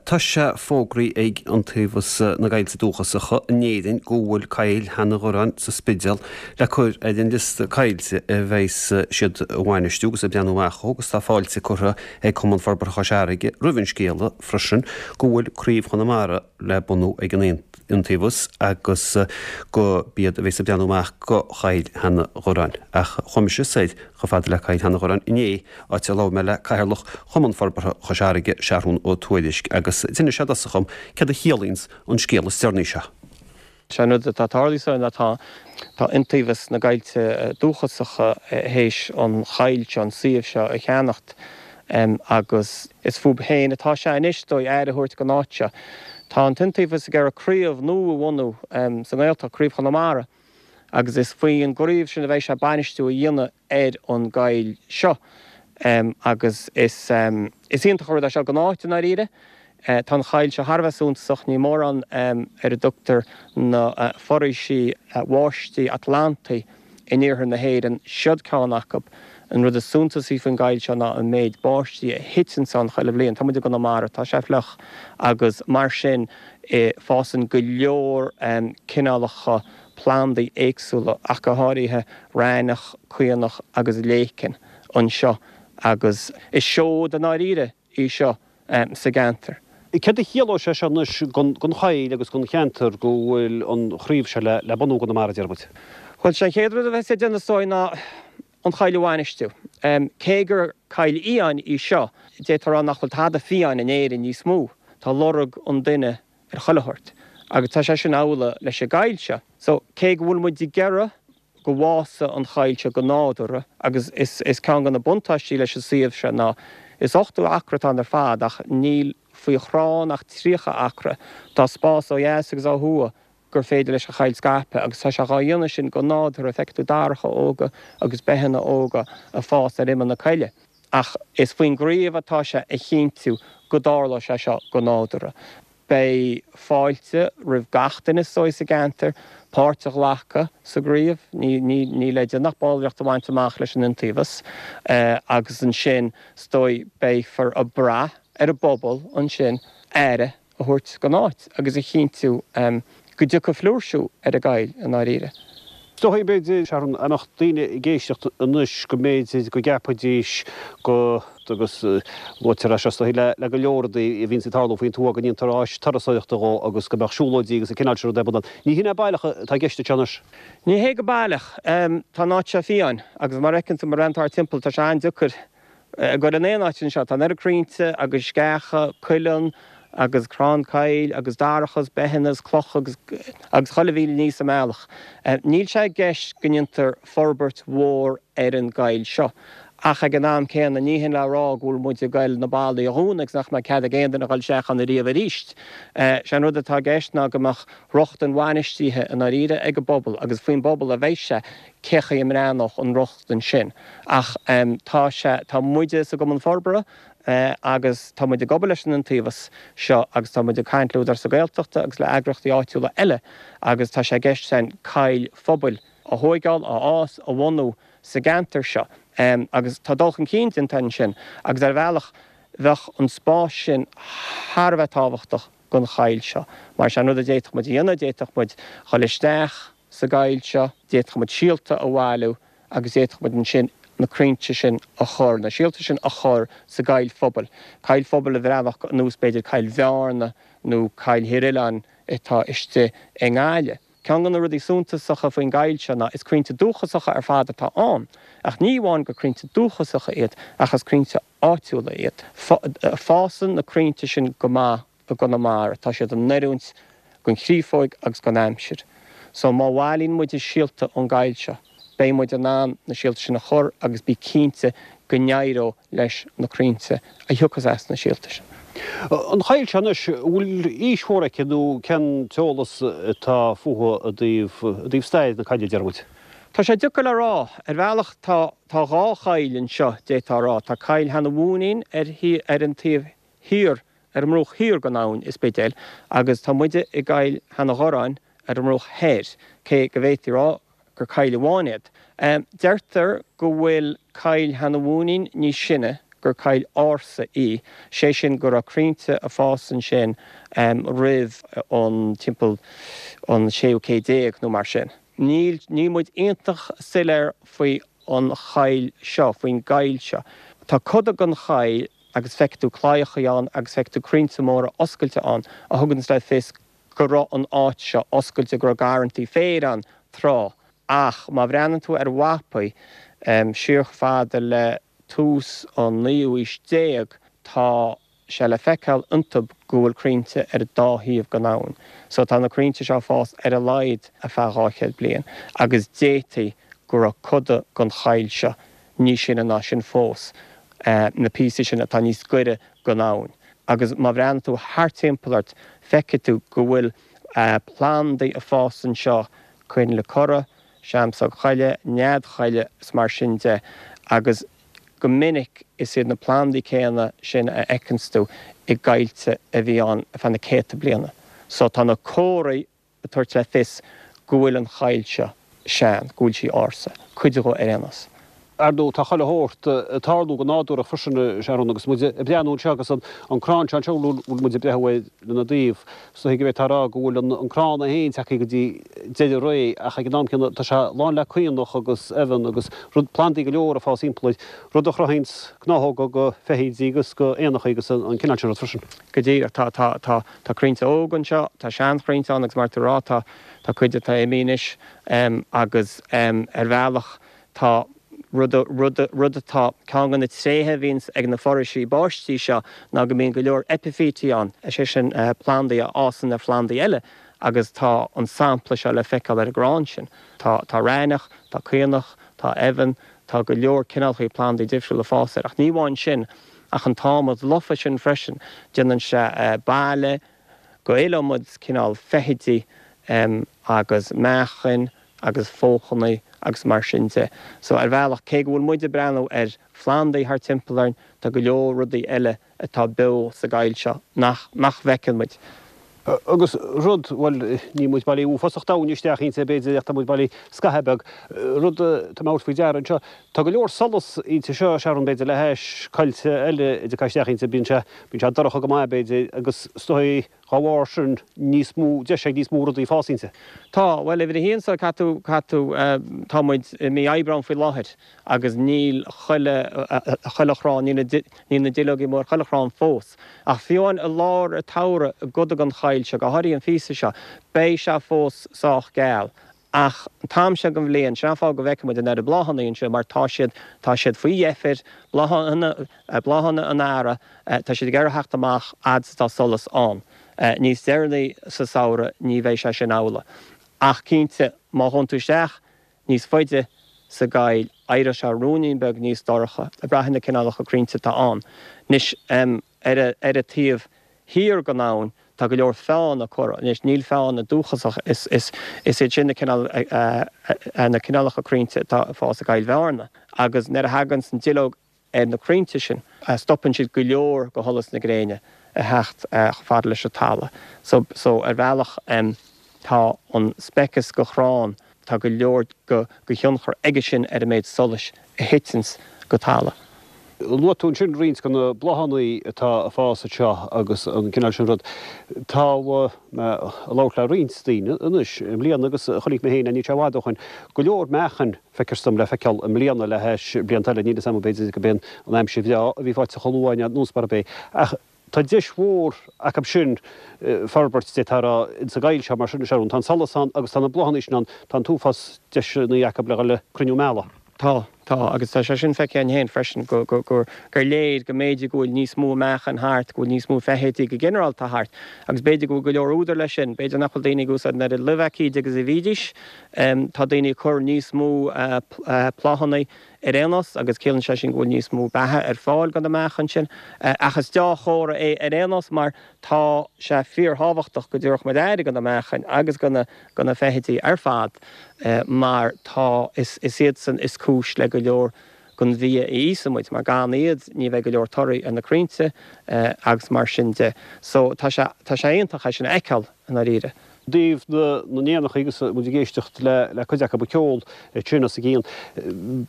Tá sé fógraithe ag Iontaobhas na gCoillte Dúchasacha in Éirinn go bhfuil Coill Sheanadh Dhoráin sa Spidéal le cur ar an liosta coillte a bheas siad a bhainistiú agus ag breathnú amach dhó agus tá fáilte curtha ag Cumann Forbartha Chois Fharraige roimh an scéala freisin go bhfuil Craobh Chonamara le bunú ag an Iontaobhas agus go b'iad a bheas ag breathnú amach go Choill Sheanadh Dhoráin. Ach chuaigh mise soir chomh fada le Coill Sheanadh Dhoráin inné áit a labhair mé le Cathaoirleach Chumann Forbartha Chois Fharraige, Seathrún Ó Tuairisg, agus d'inis sé i dtosach dhom céard a chiallaíonns an scéal is deireanaí seo. Sé an rud atá tarlaithe so ná tá tá Iontaobhas na gCoillte Dúchasacha théis an choill seo, an suíomh seo a cheannacht agus is fúb féin atá sé anois is dóigh aire a thabhairt don áit seo. Tá an tIontaobhas ag iarraidh craobh nua a bhunú sa nGaeltacht, Craobh Chonamara, agus is faoin gcraobh sin a bheidh sé bainistiú a dhéanamh ar an gcoill seo agus is iontach an rud é seo don áit i ndáiríre. Tá an choill seo thar a bheith suntasach, níl mórán ar a dtugtar na foraoisí bháistí Atlantaí in iarthar na hÉireann, siod ceann acu. An rud is suntasaí faoin gcoill seo ná an méid báistí a thiteann ann chuile bhliain. Tá muid i gConamara, tá sé fliuch agus mar sin fásann go leor cineálacha plandaí éagsúla, ach go háirithe raithneach, caonach agus léicean anseo agus is seoid i ndáiríre í seo sa gceantar. Céard a chiallóidh sé seo anois don choill agus don cheantar go bhfuil an chraobh seo le bunú i gConamara, deir muid? Bhuel, sé an chéad rud a bheas ag déanamh is dóigh ná an choill a bhainistiú. Cé gur coill fhiáin í seo, d'fhéadfá a rá nach bhfuil tada fiáin in Éirinn níos mó. Tá lorg an duine ar chuile shórt. Agus tá sé sin amhlaidh leis an gcoill seo. So, cé go bhfuil muid ag iarraidh go bhfásfaidh an choill seo go nádúrtha, agus is is ceann de na buntáistí leis an suíomh seo ná, is 80 acra atá ann ar fad ach níl faoi chrann ach 30 acra. Tá spás ó dheas agus ó thuaidh gur féidir leis an choill scaipeadh agus tá sé dhá dhéanamh sin go nádúrtha, feicfidh tú daracha óga agus beitheanna óga ag fás ar imeall na coille. Ach is faoin gcraobh atá sé a chinntiú go dtarlóidh sé seo go nádúrtha. Beidh fáilte roimh gach duine is dóigh sa gceantar páirt a ghlacadh sa gcraobh. Ní le déanamh ach ballraíocht a bhaint amach leis an Iontaobhas agus ansin is dóigh beifear ag brath ar an bpobal ansin aire a thabhairt don áit agus a chinntiú go dtiocfaidh flúirsiú ar an gcoill i ndáiríre. Is dóigh, b'fhéidir, Sharon, dá mbeadh daoine ag éisteacht anois go mb'fhéidir go gceapfaidís go, agus luaitear é seo is dóigh le go leor rudaí a bhíonns ag tarlú faoin tuath, go ndéantar áis turasóireachta dhó agus go mbeadh siúlóidí agus an cineál sin rud ar bun ann. Ní hin é baileach atá i gceist anseo anois. Ní hé go baileach. Tá an áit seo fiáin agus mar a fheiceann tú, má bhreathnaíonn tú thart timpeall, tá sé an-deacair a ghoil in aon áit anseo. Tá an oiread crainnte agus sceacha, cuileann agus crann coill agus daracha is beitheanna is clocha agus agus chuile mhíle ní sa mbealach. Níl sé i gceist go ndéantar forbairt mhór ar an gcoill seo. Ach ag an am céanna ní hin le rá go bhfuil muid ag goil na ballaí a dhúnadh agus nach mbeidh cead ag aon duine a dhul isteach ann ariamh arís. Sé an rud atá i gceist ná go mbeadh rochtain bhainistithe i ndáiríre ag an bpobal agus faoin bpobal a bheidh sé cé chaoi a mbreathnódh an rochtain sin. Ach tá sé, tá muide sa gCumann Forbartha agus tá muid ag obair leis an Iontaobhas seo agus tá muid ag caint le Údarás na Gaeltachta agus le eagraíochtaí áitiúla eile agus tá sé i gceist againn coill phobail a thóigeáil, a fhás, a bhunú sa gceantar seo. Agus tá dul chun cinn déanta ansin agus ar bhealach bheadh an spás sin thar a bheith tábhachtach don choill seo. Mar sé an rud a d'fhéadfadh muid a dhéanamh, d'fhéadfadh muid dhul isteach sa gcoill seo, d'fhéadfadh muid síolta a bhailiú agus d'fhéadfadh muid ansin na crainnte sin a chur, na síolta sin a chur sa gcoill phobail, coill phobail a bhreathnódh ar nós b'fhéidir Coill Bhearna nó Coill Thír Oileáin atá istigh i nGaillimh. Ceann de na rudaí suntasacha faoin gcoill seo ná is crainnte dúchasacha ar fad atá ann, ach ní amháin gur crainnte dúchasacha iad ach is crainnte áitiúla iad. Fásann na crainnte sin go maith i gConamara. Tá siad in oiriúint don chriofóig agus don aimsir. So má bhailíonn muid síolta ón gcoill seo, beidh muid in ann na síolta sin a chur agus bí cinnte go n-éireoidh leis na crainnte a thiocfas as na síolta sin. An choill seo anois, an bhfuil aois mhór aici nó cén t-eolas atá fúithi i dtaobh, i dtaobh stair na coille, deir muid? Tá sé deacair le rá. Ar bhealach tá, tá dhá choill anseo, d'fhéadfá a rá. Tá Coill Sheanadh Mhúinín ar, ar an taobh thiar, ar an mbruach thiar den abhainn i Spidéal, agus tá muide i gCoill Sheanadh Dhoráin ar an mbruach thoir, cé go bhféadfaí a rá gur coill amháin iad. Deirtear go bhfuil Coill Sheanadh Mhúinín níos sine. gur coill ársa í, sé sin go raibh crainnte ag fás ansin roimh an timpeall an séú céad déag nó mar sin. Níl, níl muid iontach soiléir faoi an choill seo, faoin gcoill seo. Tá coda den choill agus feicfidh tú claíochaí ann agus feicfidh tú crainnte móra oscailte ann a thuganns le fios go raibh an áit seo oscailte, go raibh garrantaí féir ann tráth. Ach má bhreathnaíonn tú ar mhapaí siar chomh fada le tús an naoú aois déag, tá sé le feiceáil iontu go bhfuil crainnte ar an dá thaobh den abhainn. So tá na crainnte seo ag fás ar a laghad ar feadh 200 bliain agus d'fhéadfaí go raibh coda den choill seo níos sine ná sin fós, na píosaí sin atá níos gaire don abhainn. Agus má bhreathnaíonn tú thart timpeall ort feicfidh tú go bhfuil plandaí ag fás anseo, coinnle corra, seamsóg choille, nead choille is mar sin de agus go minic is iad na plandaí céanna sin a fheiceanns tú i gcoillte a bhí ann ar feadh na céadta bliana. So tá na comharthaí ag tabhairt le fios go bhfuil an choill seo sean, go bhfuil sí ársa, cuid dhe ar aon nós. Ar ndóigh, tá chuile shórt ag tarlú go nádúrach freisin, a Sharon, agus muid ag breathnú anseo agus an crann seo anseo a bhfuil muid ag breathnú air lena dtaobh, is dóigh go bhféadfá a rá go bhfuil an crann é féin tagtha go dtí deireadh ré ach ag an am céanna tá sé lán le caonach agus eamhan agus rud, plandaí go leor ag fás thimpeall air, rud a chruthaíonns gnáthóga go feithidí agus go éanachaí agus an cineál sin rud freisin. Go díreach. Tá, tá, tá, tá crainnte óga anseo, tá seanchrainnte ann agus mar atá tú a rá tá, tá cuid atá imithe anois agus ar bhealach Tá rud, rud, rud atá, ceann de na tréithe a bhíonns ag na foraoisí báistí seo ná go mbíonn go leor eipifítí ann, is é sin plandaí a fhásann ar phlandaí eile agus tá an sampla seo le feiceáil ar an gcrann sin. Tá, tá raithneach, tá caonach, tá eamhan, tá go leor cineálchaí plandaí difriúla ag fás air. Ach ní amháin sin, ach an t-adhmad lofa sin freisin, déanann sé baile go iliomad cineál feithidí agus meachain agus fóchannaí agus mar sin de. So ar bhealach, cé go bhfuil muid ag breathnú ar phlandaí thart timpeall orainn, tá go leor rudaí eile atá beo sa gcoill seo nach nach bhfeiceann muid. Agus rud, bhuel, níl muid bailí uafásach domhain isteach inti, b'fhéidir, ach tá muid bailí scaitheamh beag. Rud atá mé a thabhairt faoi deara anseo, tá go leor solas inti seo, Sharon, b'fhéidir, le hais coillte eile a dtiocfá isteach inti, bíonn sé, bíonn sé dorcha go maith, b'fhéidir, agus is dóigh, Dá bharr sin, níos mó deis ag níos mó rudaí fás inti. Tá, bhuel, uimhir a haon so, caithfidh tú, caithfidh tú, tá muid i mí Aibreáin faoi láthair agus níl chuile, chuile chrann, níl na, níl na duilleogaí amuigh ar chuile chrann fós. Ach fiú amháin i lár an tsamhraidh i gcoda den choill seo, go háirithe an phíosa seo, beidh sé fós sách geal. Ach an t-am seo den bhliain, sin an fáth go bhfeiceann muid an oiread bláthanna anseo, mar tá siad, tá siad faoi dheifir, bláthanna, bláthanna an earraigh, tá siad ag iarraidh theacht amach fhad is atá solas ann. Níos deireanaí sa samhradh ní bheidh sé sin amhlaidh. Ach cinnte, má ghabhann tú isteach níos faide sa gcoill, éireoidh sé ruainnín beag níos dorcha, ag brath ar na cineálacha crainnte atá ann. Anois, ar an, ar an taobh thiar den abhainn, Tá go leor feánna curtha. Anois, níl feánna dúchasach, is iad sin na cineál, na cineálacha crainnte atá ag fás i gCoill Bhearna. Agus nuair a thaganns an duilleog ar na crainnte sin, stopann siad go leor de sholas na gréine a theacht chomh fada leis an talamh. So, so ar bhealach, tá an speiceas de chrann, Tá go leor de thionchar aige sin ar an méid solais a thiteanns go talamh. Luaigh tú ansin roinnt de na bláthanna atá ag fás anseo agus an cineál sin rud. Tá mé ag labhairt le roinnt daoine anois i mbliana agus chonaic mé féin, níl sé i bhfad ó shoin, go leor meachain, feictear dom, le feiceáil i mbliana le hais blianta eile. Níl 'fhios a'm b'fhéidir go b'é an aimsir bhreá a bhí faighte chomh luath nó mar a b'é. Ach Tá deis mhór acu sin forbairt, d'fhéadfá a rá, insa gcoill seo mar sin, a Sharon. Tá an solas ann agus tá na bláthanna sin ann. Tá an t-uafás deiseanna acu le dhul ag cruinniú meala. Tá, tá, agus tá sé sin feicthe againn féin freisin, go, go, gur, gur léir go mb'fhéidir go bhfuil níos mó meachain thart, go bhfuil níos mó feithidí go ginearálta thart, agus b'fhéidir go bhfuil go leor údar leis sin. B'fhéidir nach bhfuil daoine ag úsáid an oiread luibh-aicíde agus a bhídís. Tá daoine ag cur níos mó pláthanna Ar aon nós, agus ciallaíonn sé sin go bhfuil níos mó beatha ar fáil do na meachain sin. Ach is deá-chomhartha é ar aon nós mar tá sé fíorthábhachtach go dtabharfadh muid aire do na meachain agus do na do na feithidí ar fad mar tá is is iadsan is cúis le go leor den bhia a íosann muid mar gan iad ní bheidh go leor torthaí ar na crainnte agus mar sin de. So tá sé tá sé iontach é sin a fheiceáil i ndáiríre. I dtaobh na n-éanachaí agus muid ag éisteacht le cuid acu ag ceol ansin os a gcionn,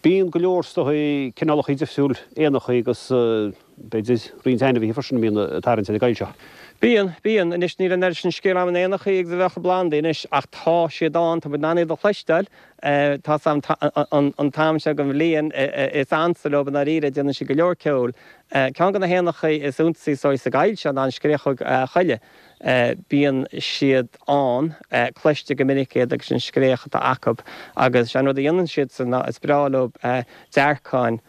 bíonn go leor is dóigh cineálacha difriúil éanachaí agus b'fhéidir roinnt ainmhithe freisin a bhíonn ag tarraingt ar an gcoill seo. Bíonn, bíonn. Anois níl an oiread sin scéal agam na n-éanachaí agus a bheadh i bplandaí anois ach tá siad ann, tá muid in ann iad a chloisteáil. Tá 's a'm an t-am seo den bhliain is ansa leo i ndáiríre, déanann siad go leor ceoil. Ceann de na héanachaí is iontasaí is dóigh sa gcoill seo ná an scréachóg choille. Bíonn siad ann, cloistear go minic iad agus an scréach atá acu agus sé an rud a dhéanann siadsan ná is breá leo dearcáin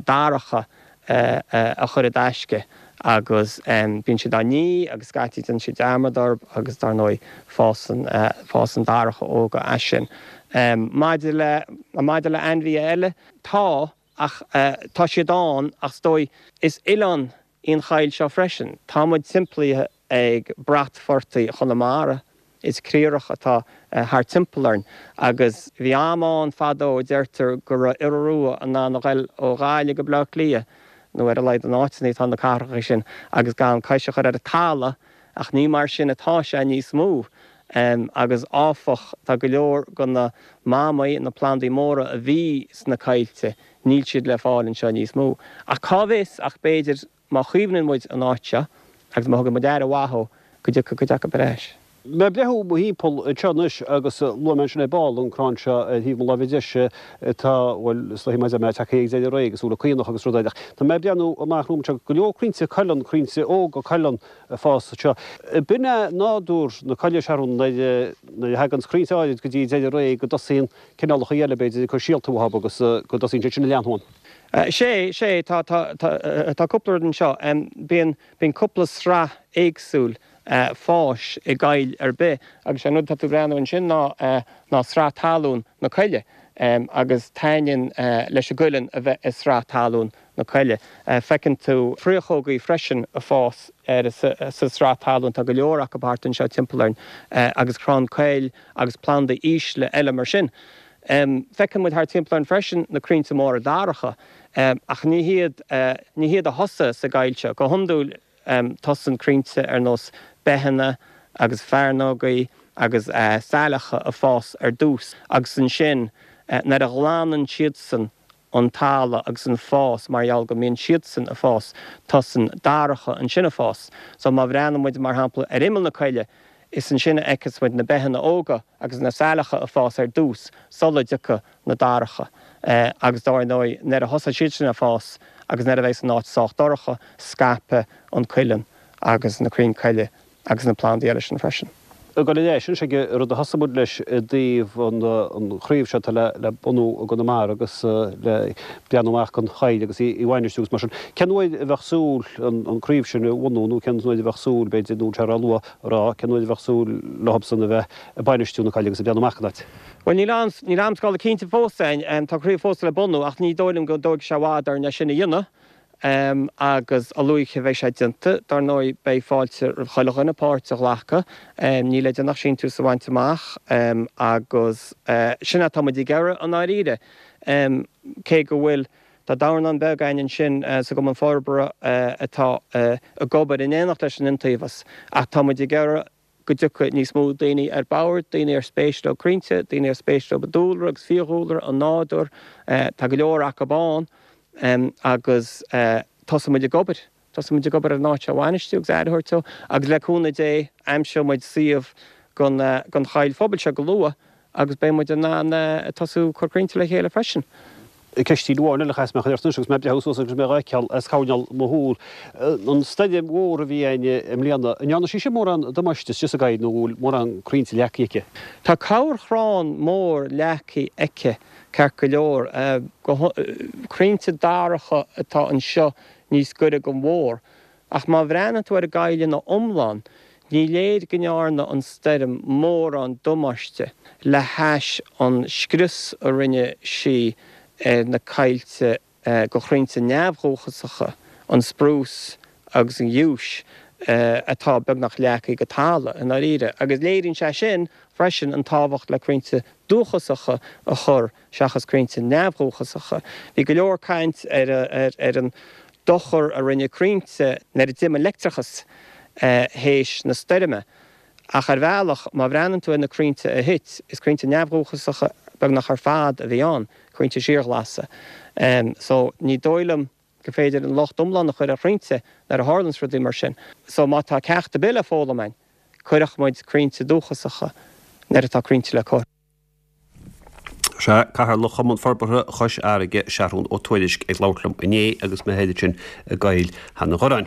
daracha a chur i dtaisce agus bíonn siad á n-ithe agus scaití déanann siad dearmad orthu agus dar ndóigh fásann fásann daracha óga as sin. Maidir le maidir le ainmhithe eile, tá ach tá siad ann ach is dóigh is oileán í an choill seo freisin. Tá muid timpeallaithe ag bratphortaigh Chonamara, is criathrach atá thart timpeall orainn agus bhí am ann fadó, deirtear, go raibh iora rua in ann a ghoil ó Ghaillimh go Bleá Cliath, nó ar a laghad an áiteanna atá na cathracha sin, agus gan cois a chur ar an talamh, ach ní mar sin atá sé níos mó. Agus áfach, tá go leor de na mamaigh, na plandaí móra a bhí sna coillte, Níl siad le fáil anseo níos mó. Ach cá bhfios ach b'fhéidir má chaomhnaíonn muid an áit seo agus má thugann muid aire mhaith dó go dtiocfaidh cuid acu ar ais. Mé ag breathnú mo thimpeall anseo anois agus luaigh mé ansin ar ball an crann seo ar thaobh mo láimhe deise atá, bhuel, is dóigh maidir mé tagtha ag deireadh ré agus úlla caonach agus rudaí ach tá mé ag breathnú amach romham anseo go leor crainnte cuileann, crainnte óga cuileann ag fás anseo. B'in é nádúr na coille, Sharon, nuair a thagann crainnte áirid go dtí deireadh ré go dtosaíonn cineálacha eile, b'fhéidir, ag cur síolta uathu agus go dtosaíonn siad sin a leathnú ann. Sé, sé, tá, tá, tá, tá cúpla rud anseo. Bíonn, bíonn cúpla sraith éagsúil fáis i gcoill ar bith agus sé an rud atá tú ag breathnú ansin ná, ná sraith talún na coille agus taitníonn leis an gcuileann a bheith i sraith talún na coille. Feiceann tú fraochógaí freisin ag fás ar, sa sraith talún, tá go leor acu thart anseo timpeall orainn agus crann coill agus plandaí ísle eile mar sin. Feiceann muid thart timpeall orainn freisin na crainnte móra daracha, ach ní hiad, ní hiad a thosaigh sa gcoill seo. Go hiondúil tosaíonn crainnte ar nós beitheanna agus fearnógaí agus saileacha ag fás ar dtús agus ansin nuair a ghlanann siadsan an talamh agus an fás mar gheall go mbíonn siadsan ag fás, tosaíonn daracha ansin ag fás. So má bhreathnaíonn muid mar shampla ar imeall na coille, is ansin a fheiceas muid na beitheanna óga agus na saileacha ag fás ar dtús sula dtiocfaidh na daracha. Agus dár ndóigh nuair a thosaigh siad sin ag fás agus nuair a bheas an áit sách dorcha, scaipfidh an cuileann agus na crainn coille agus na plandaí eile sin freisin. Ag dul ar ais anois ag an rud a thosaigh muid leis i dtaobh an chraobh seo atá le bunú i gConamara agus le breathnú amach don choill agus í a bhainistiú agus mar sin. Cén uair a bheadh súil an craobh sin a bhunú nó cén uair a bheadh súil, b'fhéidir, nó an bhfuil sé róluath a rá, cén uair a bheadh súil leothubsan a bheith ag bainistiú na coille agus ag breathnú amach don áit? Bhuel, níl aon, níl amscála cinnte fós againn. Tá craobh fós le bunú ach ní dóigh liom go dtógfaidh sé i bhfad orainn é sin a dhéanamh. Agus a luaithe a bheidh sé déanta, dar ndóigh, beidh fáilte roimh chuile dhuine páirt a ghlacadh. Níl le déanamh ach síntiús a bhaint amach agus sin é atá muid ag iarraidh i ndáiríre. Cé go bhfuil, tá dornán beag againn ansin sa gCumann Forbartha atá ag obair in éineacht leis an Iontaobhas ach tá muid ag iarraidh go dtiocfaidh níos mó daoine ar bord, daoine ar spéis leo crainnte, daoine ar spéis leo an dúlra agus fiadhúlra, an nádúr. Tá go leor acu ann agus tosóidh muid ag obair, tosóidh muid ag obair ar an áit seo a bhainistiú agus aire a thabhairt dó agus le cúnamh Dé aimseoidh muid suíomh don choill phobail seo go luath agus beidh muid in ann tosú ag cur crainnte le chéile freisin. Ceist amháin eile a chaithfeas mé a chur ort anois agus mé ag breathnú suas agus mé dhá fheiceáil as coirnéal mo shúl. An stoirm mhór a bhí againn i mbliana, an ndearna sí sin mórán damáiste istigh sa gcoill nó an bhfuil mórán crainnte leagtha aici? Tá corrchrann mór leagtha aici ceart go leor. Crainnte daracha atá anseo níos gaire don mhór. Ach má bhreathnaíonn tú ar an gcoill ina iomlán, ní léir go ndearna an stoirm mórán damáiste le hais an scrios a rinne sí ar na coillte de chrainnte neamhdhúchasacha, an sprús agus an ghiúis, atá beagnach leagtha go talamh, i ndáiríre. Agus léiríonn sé sin freisin an tábhacht le crainnte dúchasacha a chur seachas crainnte neamhdhúchasacha. Bhí go leor caint ar ar an dochar a rinne crainnte nuair a d'imigh an leictreachas théis na stoirme. Ach ar bhealach, má bhreathnaíonn tú ar na crainnte a thit, is crainnte neamhdhúchasacha beagnach ar fad a bhí ann, crainnte síorghlasa. So, ní dóigh liom gur féidir an locht iomlán a chur ar chrainnte nuair a tharlaíonns rudaí mar sin. So, má tá ceacht ar bith le foghlaim againn, cuireadh muid crainnte dúchasacha nuair atá crainnte le cur. Sea, Cathaoirleach Chumann Forbartha Chois Fharraige, Seathrún Ó Tuairisg, ag labhairt liom inné agus mé thoir ansin i gCoill Sheanadh Ghurráin.